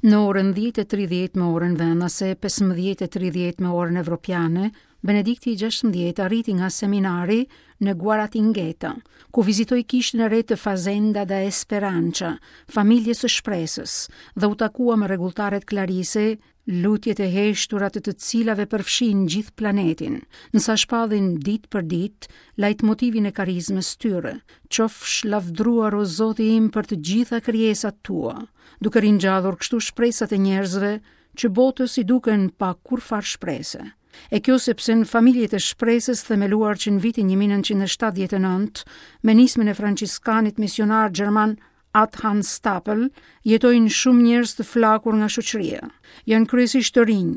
Në orën 10:30 me orën vendase, 15:30 me orën evropiane, Benedikti i 16 arriti nga seminari në Guaratinguetá, ku vizitoi kishën e re të Fazenda da Esperança, familjes së shpresës, dhe u takua me rregulltaret Klarise, lutjet e heshtura të të cilave përfshijnë gjithë planetin, ndërsa shpallin ditë për ditë lajtmotivin e karizmës tyre, qofsh lavdruar o Zoti im për të gjitha krijesat tua, duke ringjallur kështu shpresat e njerëzve që botës i duken pa kurrfarë shprese. E kjo sepse në familjet e shpresës themeluar që në vitin 1979 me nismën e franciskanit misionar gjerman At Hans Stapel, jetojnë shumë njerëz të flakur nga shoqëria. Janë kryesisht të rinj,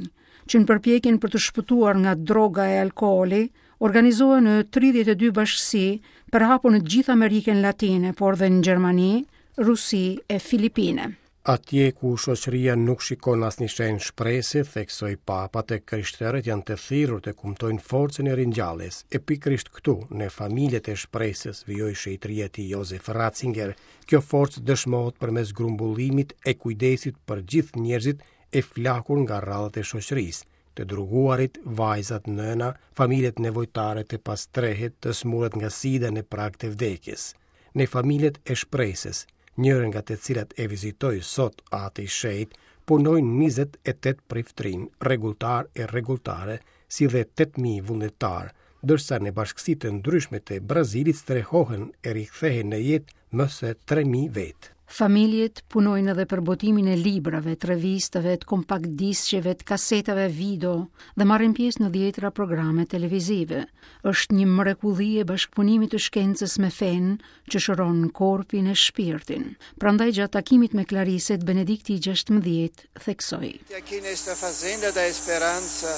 që në përpjekjen për të shpëtuar nga droga e alkooli, organizohen në 32 bashkësi, përhapur në gjithë Amerikën Latine, por dhe në Gjermani, Rusi e Filipine. Atje ku shoqëria nuk shikon asnjë shenjë shprese, theksoi Papa, të krishterët janë të thirrur të kumtojnë forcën e ringjalljes. E pikërisht këtu, në familjet e shpresës, vijoi shenjtëria e tij Josef Ratzinger, kjo forcë dëshmohet përmes grumbullimit e kujdesit për gjithë njerëzit e flakur nga radhët e shoqërisë, të droguarit, vajzat nëna, familjet nevojtare të pastrehët, të sëmurët nga sida në prag të vdekjes. Në familjet e shpresës, njërën nga të cilat e vizitoi sot Ati i Shenjtë, punojnë 28 priftërinj, rregulltarë e rregulltare, si dhe 8.000 vullnetarë, ndërsa në bashkësi të ndryshme të Brazilit strehohen e rikthehen në jetë më se 3.000 vetë. Familjet punojnë edhe për botimin e librave, të revistave, të kompakt disqeve, të kasetave video dhe marrin pjesë në dhjetëra programe televizive. Është një mrekulli e bashkëpunimit të shkencës me fenë që shëron korpin e shpirtin. Prandaj gjatë takimit me Klariset, Benedikti i 16 theksoi. Aqui nesta fazenda da esperança,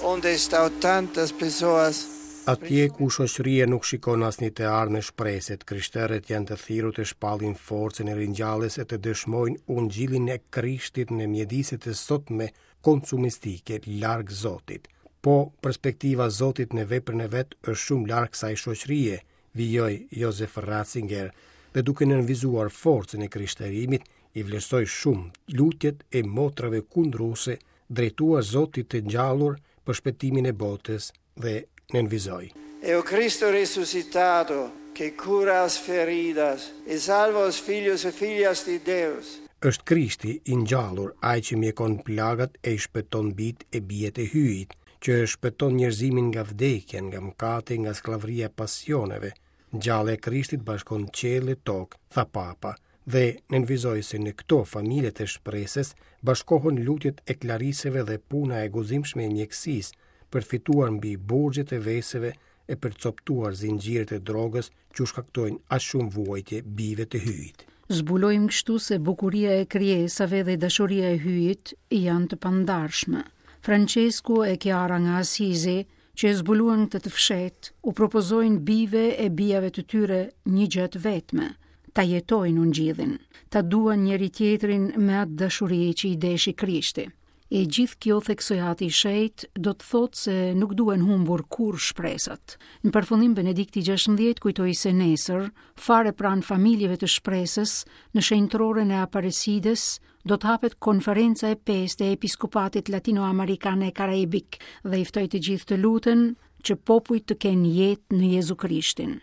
onde estão tantas pessoas Atje ku shoqëria nuk shikon asnjë të ardhme shprese, të krishterët janë të thirrur të shpallin forcën e ringjalljes e të dëshmojnë ungjillin e Krishtit në mjediset e sotme konsumistike larg Zotit. Po, perspektiva e Zotit në veprën e vet është shumë larg kësaj shoqërie, vijoi Josef Ratzinger, dhe duke nënvizuar forcën e krishterimit, i vlerësoi shumë lutjet e motrave kundruese drejtuar Zotit të ngjallur për shpëtimin e botës dhe nënvizoi. É o Cristo ressuscitado que cura as feridas e salva os filhos e filhas de Deus. Është Krishti i ngjallur, ai që mjekon plagat e i shpëton bijtë e bijat e Hyjit, që shpëton njerëzimin nga vdekja, nga mëkati, nga skllavëria e pasioneve. Ngjallja e Krishtit bashkon qiell e tokë, tha Papa, dhe nënvizoi se në këto familje të shpresës bashkohen lutjet e klariseve dhe puna e guximshme e mjekësisë për të fituar mbi burgjet e veseve e për të copëtuar zinxhirët e drogës që u shkaktojnë aq shumë vuajtje bijve të Hyjit. Zbulojmë kështu se bukuria e krijesave dhe dashuria e Hyjit janë të pandarshme. Francesku e Chiara nga Asizi, që e zbuluan këtë të fshehtë, u propozojnë bijve e bijave të tyre një gjë të vetme, ta jetojnë ungjillin, ta duan njëri-tjetrin me atë dashuri që i deshi Krishti. E gjithë kjo, theksoi Ati i Shenjtë, do të thotë se nuk duhen humbur kurrë shpresat. Në përfundim Benedikti XVI kujtoi se nesër, fare pranë familjeve të shpresës, në shenjtëroren e Aparecides, do të hapet konferenca e pestë e Episkopatit Latinoamerikan e Karaibik dhe i ftoi të gjithë të luten që popujt të kenë jetë në Jezu Krishtin.